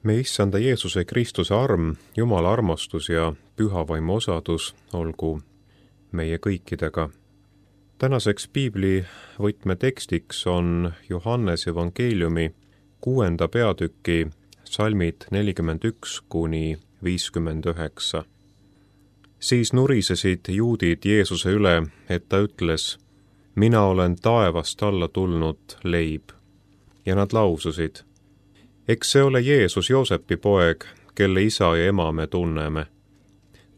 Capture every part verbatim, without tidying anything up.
Me issanda Jeesuse Kristuse arm, Jumala armastus ja püha vaimu osadus olgu meie kõikidega. Tänaseks piibli võtmetekstiks on Johannese evangeeliumi kuuenda peatüki salmid nelikümmend üks kuni viiskümmend üheksa. Siis nurisesid juudid Jeesuse üle, et ta ütles, mina olen taevast alla tulnud leib. Ja nad laususid, eks see ole Jeesus Joosepi poeg, kelle isa ja ema me tunneme.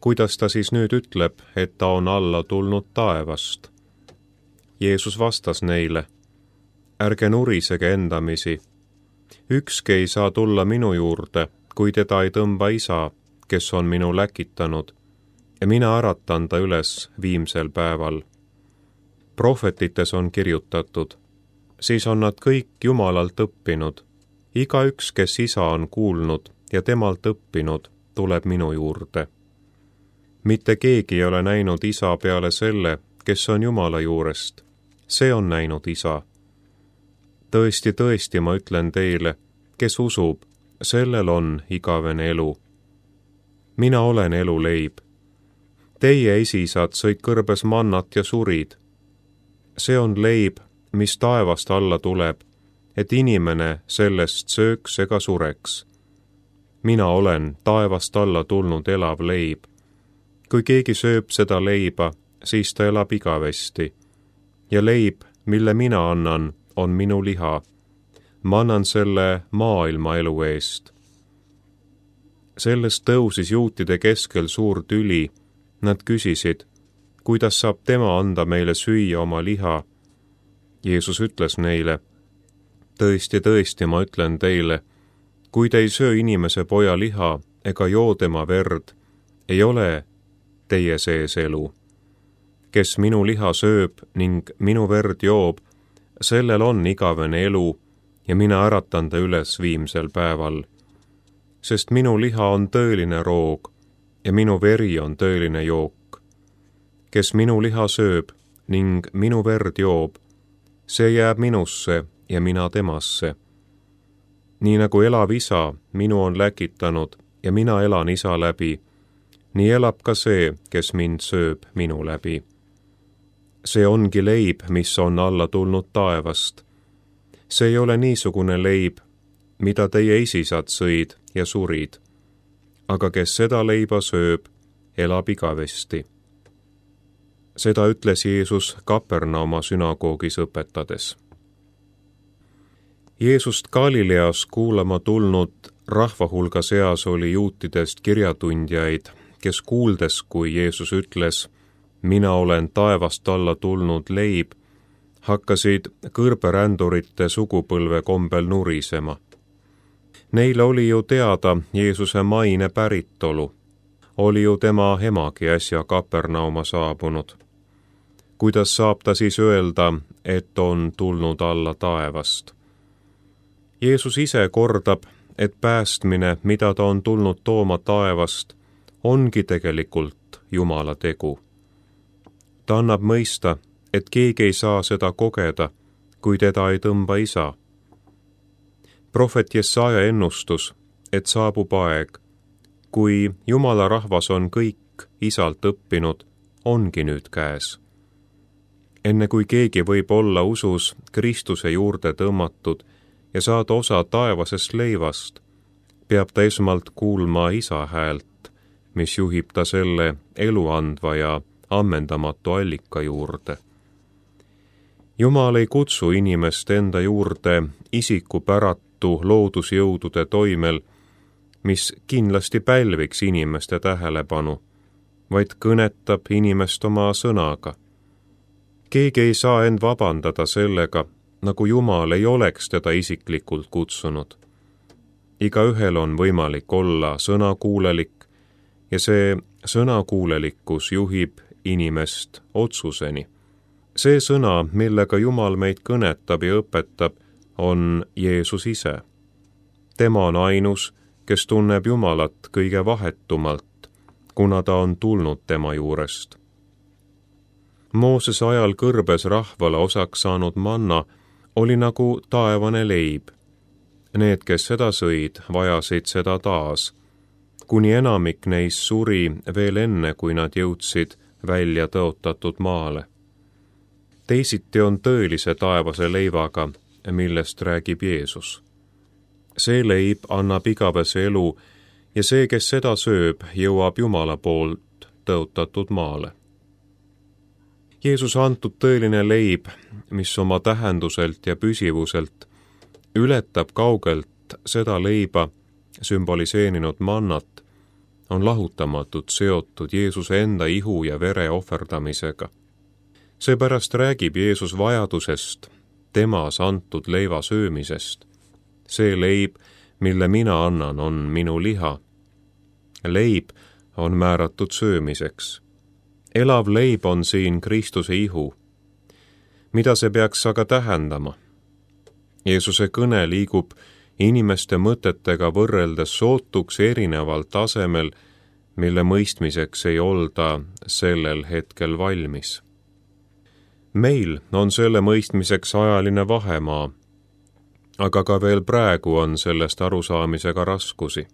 Kuidas ta siis nüüd ütleb, et ta on alla tulnud taevast? Jeesus vastas neile, ärge nurisege endamisi. Ükski ei saa tulla minu juurde, kui teda ei tõmba isa, kes on minu läkitanud, ja mina äratan ta üles viimsel päeval. Prohvetites on kirjutatud, siis on nad kõik Jumalalt õppinud. Igaüks, kes isa on kuulnud ja temalt õppinud, tuleb minu juurde. Mitte keegi ei ole näinud isa peale selle, kes on Jumala juurest. See on näinud isa. Tõesti, tõesti, ma ütlen teile, kes usub, sellel on igavene elu. Mina olen elu leib. Teie esisad sõid kõrbes mannat ja surid. See on leib, mis taevast alla tuleb, et inimene sellest sööks ega sureks. Mina olen taevast alla tulnud elav leib. Kui keegi sööb seda leiba, siis ta elab igavesti. Ja leib, mille mina annan, on minu liha. Ma annan selle maailma elu eest. Sellest tõusis juutide keskel suur tüli. Nad küsisid, kuidas saab tema anda meile süüa oma liha? Jeesus ütles neile, tõesti, tõesti, ma ütlen teile, kui te ei söö inimese poja liha ega joo tema verd, ei ole teie sees elu. Kes minu liha sööb ning minu verd joob, sellel on igavene elu ja mina äratan ta üles viimsel päeval. Sest minu liha on tõeline roog ja minu veri on tõeline jook. Kes minu liha sööb ning minu verd joob, see jääb minusse ja mina temasse. Nii nagu elav isa minu on läkitanud ja mina elan isa läbi, nii elab ka see, kes mind sööb minu läbi. See ongi leib, mis on alla tulnud taevast. See ei ole niisugune leib, mida teie esisad sõid ja surid. Aga kes seda leiba sööb, elab igavesti. Seda ütles Jeesus Kapernauma sünagoogis õpetades. Jeesust Galileas kuulama tulnud rahva hulga seas oli juutidest kirjatundjaid, kes kuuldes, kui Jeesus ütles, mina olen taevast alla tulnud leib, hakkasid kõrberändurite sugupõlve kombel nurisema. Neile oli ju teada Jeesuse maine päritolu. Oli ju tema emagi äsja Kapernauma saabunud. Kuidas saab ta siis öelda, et on tulnud alla taevast? Jeesus ise kordab, et päästmine, mida ta on tulnud tooma taevast, ongi tegelikult Jumala tegu. Ta annab mõista, et keegi ei saa seda kogeda, kui teda ei tõmba isa. Prohvet Jesaja ennustus, et saabub aeg, kui Jumala rahvas on kõik isalt õppinud, ongi nüüd käes. Enne kui keegi võib olla usus Kristuse juurde tõmmatud ja saada osa taevasest leivast, peab ta esmalt kuulma isa häält, mis juhib ta selle eluandva ja ammendamatu allika juurde. Jumal ei kutsu inimest enda juurde isikupäratu loodusjõudude toimel, mis kindlasti pälviks inimeste tähelepanu, vaid kõnetab inimest oma sõnaga. Keegi ei saa end vabandada sellega, nagu Jumal ei oleks teda isiklikult kutsunud. Igaühel on võimalik olla sõnakuulelik ja see sõnakuulelikkus juhib inimest otsuseni. See sõna, millega Jumal meid kõnetab ja õpetab, on Jeesus ise. Tema on ainus, kes tunneb Jumalat kõige vahetumalt, kuna ta on tulnud tema juurest. Moosese ajal kõrbes rahvale osaks saanud manna oli nagu taevane leib. Need, kes seda sõid, vajasid seda taas, kuni enamik neist suri veel enne, kui nad jõudsid välja tõotatud maale. Teisiti on tõelise taevase leivaga, millest räägib Jeesus. See leib annab igavese elu ja see, kes seda sööb, jõuab Jumala poolt tõotatud maale. Jeesus antud tõeline leib, mis oma tähenduselt ja püsivuselt ületab kaugelt seda leiba sümboliseerinud mannat, on lahutamatult seotud Jeesuse enda ihu ja vere ohverdamisega. Seepärast räägib Jeesus vajadusest, temas antud leiva söömisest. See leib, mille mina annan, on minu liha. Leib on määratud söömiseks. Elav leib on siin Kristuse ihu. Mida see peaks aga tähendama? Jeesuse kõne liigub inimeste mõtetega võrreldes sootuks erineval tasemel, mille mõistmiseks ei olda sellel hetkel valmis. Meil on selle mõistmiseks ajaline vahemaa, aga ka veel praegu on sellest arusaamisega raskusi.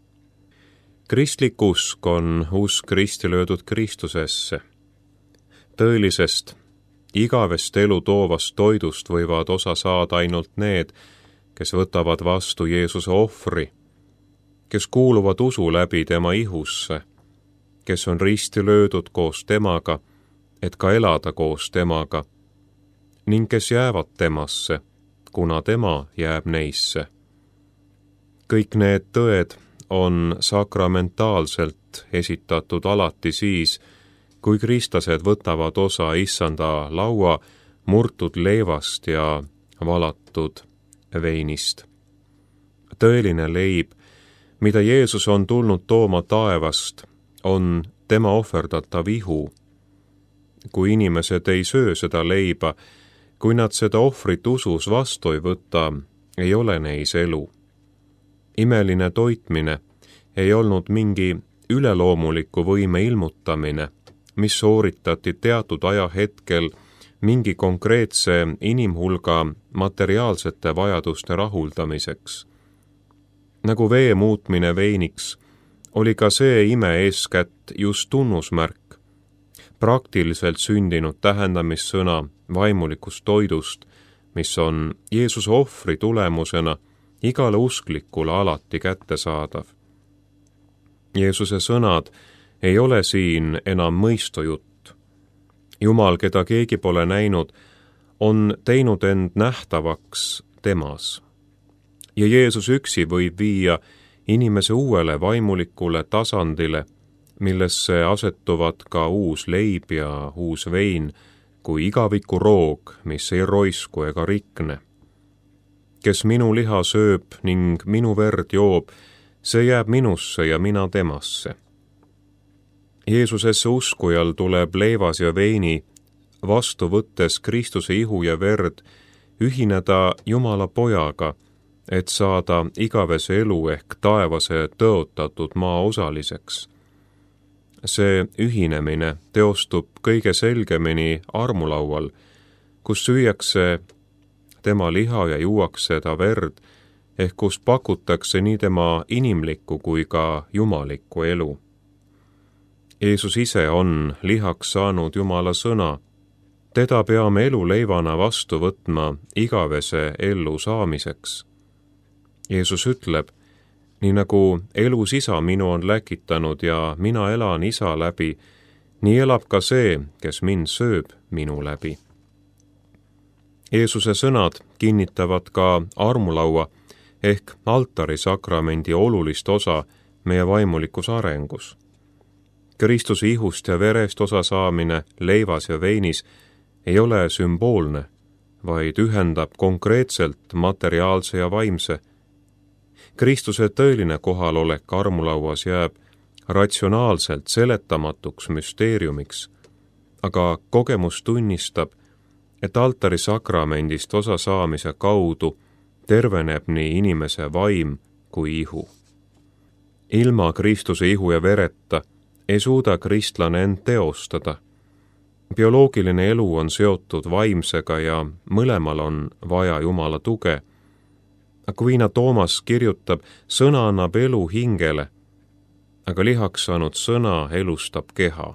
Kristlik usk on usk risti löödud Kristusesse. Tõelisest, igavest elu toovast toidust võivad osa saada ainult need, kes võtavad vastu Jeesuse ohvri, kes kuuluvad usu läbi tema ihusse, kes on risti löödud koos temaga, et ka elada koos temaga, ning kes jäävad temasse, kuna tema jääb neisse. Kõik need tõed on sakramentaalselt esitatud alati siis, kui kristlased võtavad osa issanda laua murtud leivast ja valatud veinist. Tõeline leib, mida Jeesus on tulnud tooma taevast, on tema ohverdatav ihu. Kui inimesed ei söö seda leiba, kui nad seda ohvrit usus vastu ei võta, ei ole neis elu. Imeline toitmine ei olnud mingi üleloomuliku võime ilmutamine, mis sooritati teatud ajahetkel mingi konkreetse inimhulga materiaalsete vajaduste rahuldamiseks. Nagu vee muutmine veiniks, oli ka see ime eeskätt just tunnusmärk, praktiliselt sündinud tähendamissõna vaimulikust toidust, mis on Jeesuse ohvri tulemusena igale usklikule alati kättesaadav. Jeesuse sõnad ei ole siin enam mõistujutt. Jumal, keda keegi pole näinud, on teinud end nähtavaks temas. Ja Jeesus üksi võib viia inimese uuele vaimulikule tasandile, millesse asetuvad ka uus leib ja uus vein, kui igaviku roog, mis ei roisku ega rikne. Kes minu liha sööb ning minu verd joob, see jääb minusse ja mina temasse. Jeesusesse uskujal tuleb leivas ja veini vastu võttes Kristuse ihu ja verd ühineda Jumala pojaga, et saada igavese elu ehk taevase tõotatud maa osaliseks. See ühinemine teostub kõige selgemini armulaual, kus süüakse tema liha ja juuakse ta verd, ehk kus pakutakse nii tema inimlikku kui ka jumalikku elu. Jeesus ise on lihaks saanud Jumala sõna. Teda peame eluleivana vastu võtma igavese ellu saamiseks. Jeesus ütleb, nii nagu elus isa minu on läkitanud ja mina elan isa läbi, nii elab ka see, kes mind sööb minu läbi. Jeesuse sõnad kinnitavad ka armulaua ehk altarisakramendi olulist osa meie vaimulikus arengus. Kristuse ihust ja verest osa saamine leivas ja veinis ei ole sümboolne, vaid ühendab konkreetselt materiaalse ja vaimse. Kristuse tõeline kohalolek armulauas jääb ratsionaalselt seletamatuks müsteeriumiks, aga kogemus tunnistab, et altarisakramendist osa saamise kaudu terveneb nii inimese vaim kui ihu. Ilma Kristuse ihu ja vereta ei suuda kristlane end teostada. Bioloogiline elu on seotud vaimsega ja mõlemal on vaja Jumala tuge. Aquina Toomas kirjutab, sõna annab elu hingele, aga lihaks saanud sõna elustab keha.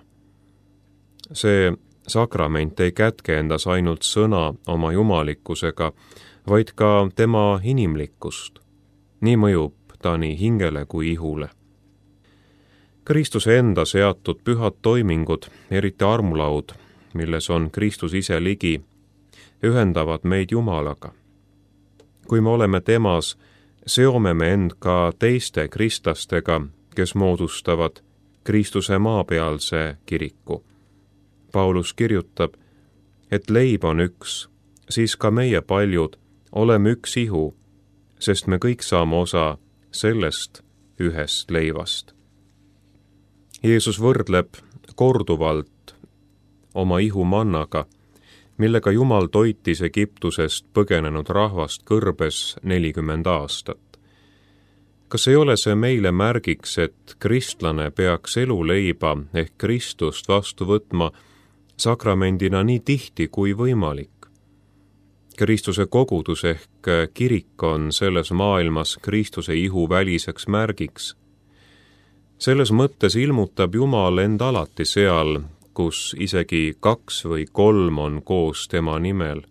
See sakrament ei kätke endas ainult sõna oma jumalikkusega, vaid ka tema inimlikkust. Nii mõjub ta nii hingele kui ihule. Kristuse enda seatud pühad toimingud, eriti armulaud, milles on Kristus ise ligi, ühendavad meid Jumalaga. Kui me oleme temas, seome me end ka teiste kristlastega, kes moodustavad Kristuse maapealse kiriku. Paulus kirjutab, et leib on üks, siis ka meie paljud oleme üks ihu, sest me kõik saame osa sellest ühest leivast. Jeesus võrdleb korduvalt oma ihu mannaga, millega Jumal toitis Egiptusest põgenenud rahvast kõrbes nelikümmend aastat. Kas ei ole see meile märgiks, et kristlane peaks eluleiba ehk Kristust vastu võtma sakramendina nii tihti kui võimalik? Kristuse kogudus ehk kirik on selles maailmas Kristuse ihu väliseks märgiks. Selles mõttes ilmutab Jumal end alati seal, kus isegi kaks või kolm on koos tema nimel.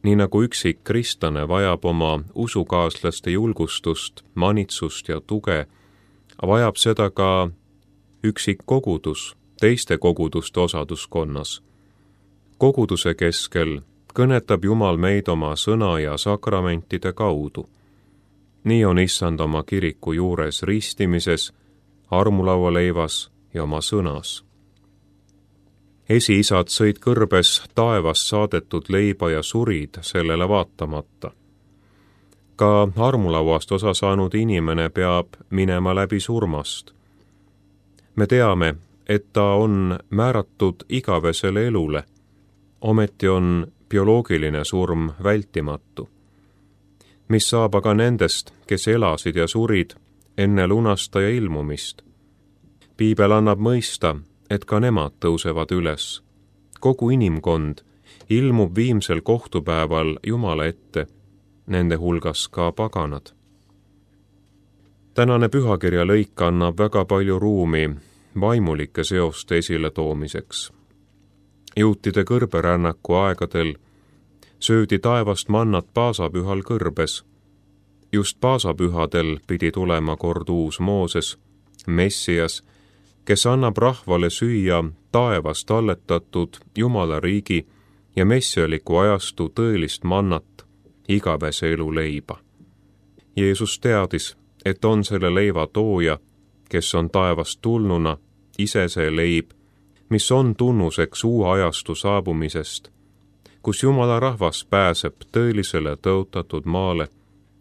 Nii nagu üksik kristlane vajab oma usukaaslaste julgustust, manitsust ja tuge, vajab seda ka üksik kogudus teiste koguduste osaduskonnas. Koguduse keskel kõnetab Jumal meid oma sõna ja sakramentide kaudu. Nii on Issand oma kiriku juures ristimises, armulaualeivas ja oma sõnas. Esiisad sõid kõrbes taevast saadetud leiba ja surid sellele vaatamata. Ka armulauast osa saanud inimene peab minema läbi surmast. Me teame, et ta on määratud igavesele elule, ometi on bioloogiline surm vältimatu. Mis saab aga nendest, kes elasid ja surid enne lunastaja ilmumist? Piibel annab mõista, et ka nemad tõusevad üles. Kogu inimkond ilmub viimsel kohtupäeval Jumala ette, nende hulgas ka paganad. Tänane pühakirja lõik annab väga palju ruumi vaimulike seoste esile toomiseks. Juutide kõrberännaku aegadel söödi taevast mannat paasapühal kõrbes. Just paasapühadel pidi tulema kord uus Mooses, Messias, kes annab rahvale süüa taevast talletatud Jumala riigi ja messialiku ajastu tõelist mannat, igavese elu leiba. Jeesus teadis, et on selle leiva tooja, kes on taevast tulnuna, ise see leib, mis on tunnuseks uue ajastu saabumisest, kus Jumala rahvas pääseb tõelisele tõotatud maale,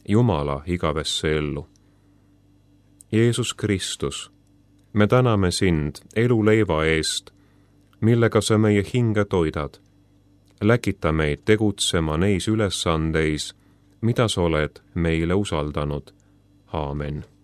Jumala igavesse ellu. Jeesus Kristus, me täname sind eluleiva eest, millega sa meie hinge toidad. Läkita meid tegutsema neis ülesandeis, mida sa oled meile usaldanud. Aamen.